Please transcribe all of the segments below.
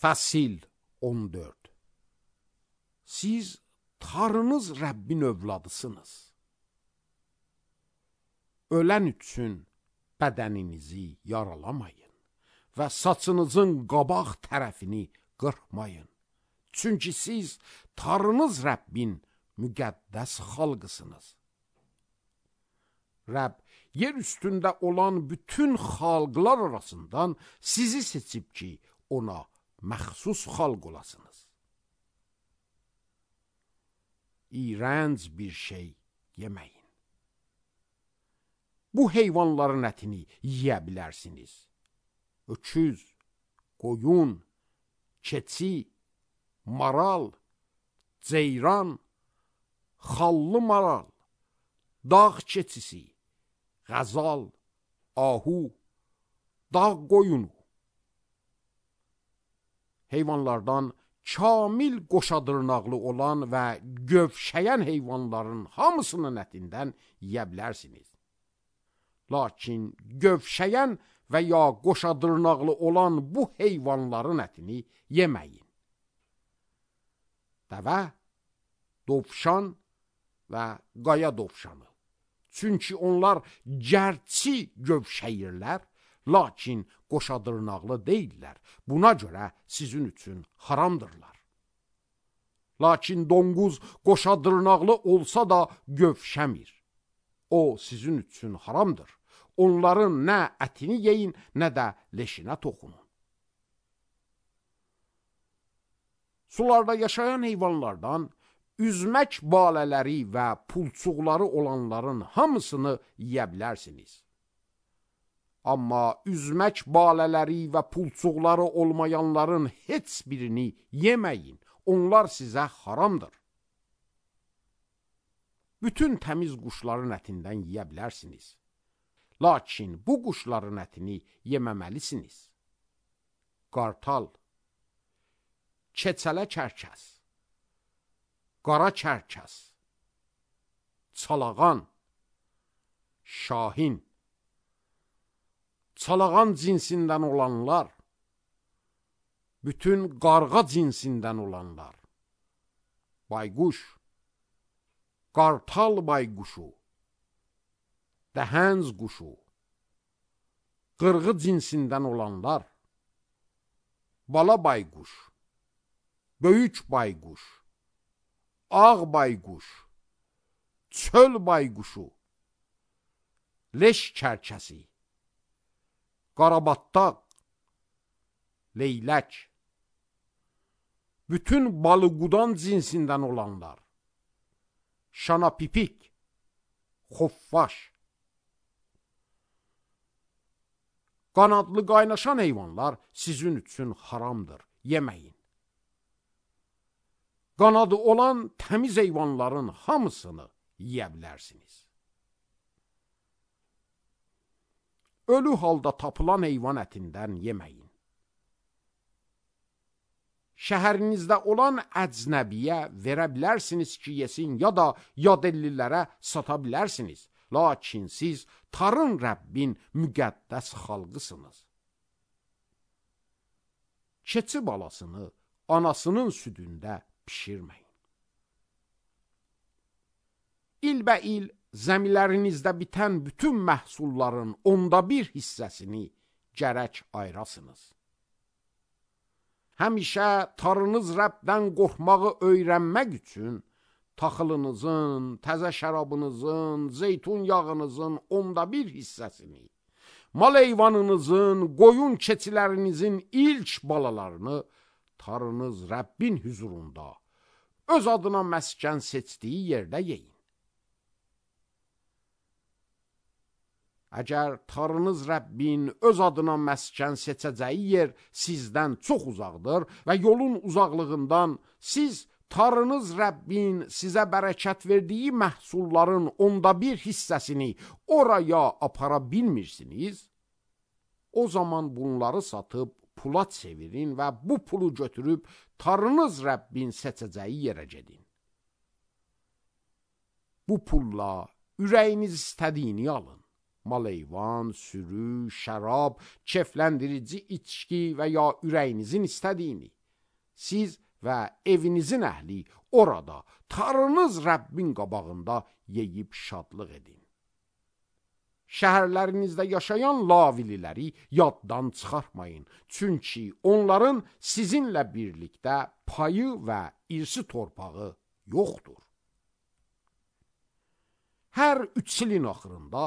Fəsil 14. Siz Tanrınız Rəbbin övladısınız. Ölən üçün bədəninizi yaralamayın və saçınızın qabaq tərəfini qırpmayın. Çünki siz Tanrınız Rəbbin müqəddəs xalqısınız. Rəbb yer üstündə olan bütün xalqlar arasından sizi seçib ki, ona məxsus xalq olasınız. İğrənc bir şey yeməyin. Bu heyvanların ətini yeyə bilərsiniz. Öküz, qoyun, keçi, maral, ceyran, xallı maral, dağ keçisi, qəzal, ahu, dağ qoyunu. Heyvanlardan kamil qoşadırnaqlı olan və gövşəyən heyvanların hamısının ətindən yeyə bilərsiniz. Lakin gövşəyən və ya qoşadırnaqlı olan bu heyvanların ətini yeməyin. Dəvə, dovşan və qaya dovşanı. Çünki onlar gərçi gövşəyirlər, lakin qoşadırnaqlı deyirlər. Buna görə sizin üçün haramdırlar. Lakin donquz qoşadırnaqlı olsa da gövşəmir. O sizin üçün haramdır. Onların nə ətini yeyin, nə də leşinə toxunun. Sularda yaşayan heyvanlardan üzmək balələri və pulçuqları olanların hamısını yeyə bilərsiniz. Amma üzmək balələri və pulçuqları olmayanların heç birini yeməyin. Onlar sizə haramdır. Bütün təmiz quşların ətindən yeyə bilərsiniz. Lakin bu quşların ətini yeməməlisiniz. Qartal, keçələ kərkəs, qara kərkəs, çalağan, şahin, çalağan cinsindən olanlar, bütün qarğa cinsindən olanlar, bayquş, qartal bayquşu, dəhənz quşu, qırğı cinsindən olanlar, bala bayquş, böyük bayquş, ağ bayquş, çöl bayquşu, leş kərkəsi, qarabattaq, leylək, bütün balıqudan cinsindən olanlar, şanapipik, xoffaş, qanadlı qaynaşan heyvanlar sizin üçün haramdır, yeməyin. Qanadı olan təmiz heyvanların hamısını yeyə bilərsiniz. Ölü halda tapılan heyvan ətindən yeməyin. Şəhərinizdə olan əcnəbiyə verə bilərsiniz ki, yesin, ya da yadellilərə sata bilərsiniz. Lakin siz Tanrı Rəbbin müqəddəs xalqısınız. Keçi balasını anasının südündə pişirməyin. İlbəil zəmilərinizdə bitən bütün məhsulların 1/10 hissəsini gərək ayırasınız. Həmişə Tanrınız Rəbdən qorxmağı öyrənmək üçün taxılınızın, təzə şərabınızın, zeytun yağınızın 1/10 hissəsini, mal heyvanınızın, qoyun keçilərinizin ilk balalarını Tanrınız Rəbbin hüzurunda, öz adına məskən seçdiyi yerdə yeyin. Əgər Tanrınız Rəbbin öz adına məskən seçəcəyi yer sizdən çox uzaqdır və yolun uzaqlığından siz Tanrınız Rəbbin sizə bərəkət verdiyi məhsulların 1/10 hissəsini oraya apara bilmirsiniz, o zaman bunları satıb pula çevirin və bu pulu götürüb Tanrınız Rəbbin seçəcəyi yerə gedin. Bu pulla ürəyiniz istədiyini alın. Mal-heyvan, sürü, şərab, kefləndirici içki və ya ürəyinizin istədiyini. Siz və evinizin əhli orada Tanrınız Rəbbin qabağında yeyib şadlıq edin. Şəhərlərinizdə yaşayan lavililəri yaddan çıxartmayın. Çünki onların sizinlə birlikdə payı və irsi torpağı yoxdur. Hər 3 ilin axırında,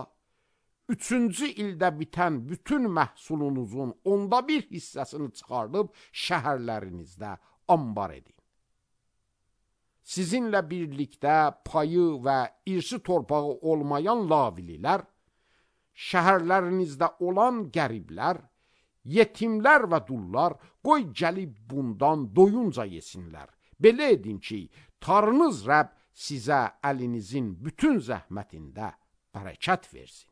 3-cü ildə bitən bütün məhsulunuzun 1/10 hissəsini çıxardıb şəhərlərinizdə ambar edin. Sizinlə birlikdə payı və irsi torpağı olmayan lavililər, şəhərlərinizdə olan qəriblər, yetimlər və dullar qoy gəlib bundan doyunca yesinlər. Belə edin ki, Tanrınız Rəbb sizə əlinizin bütün zəhmətində bərəkət versin.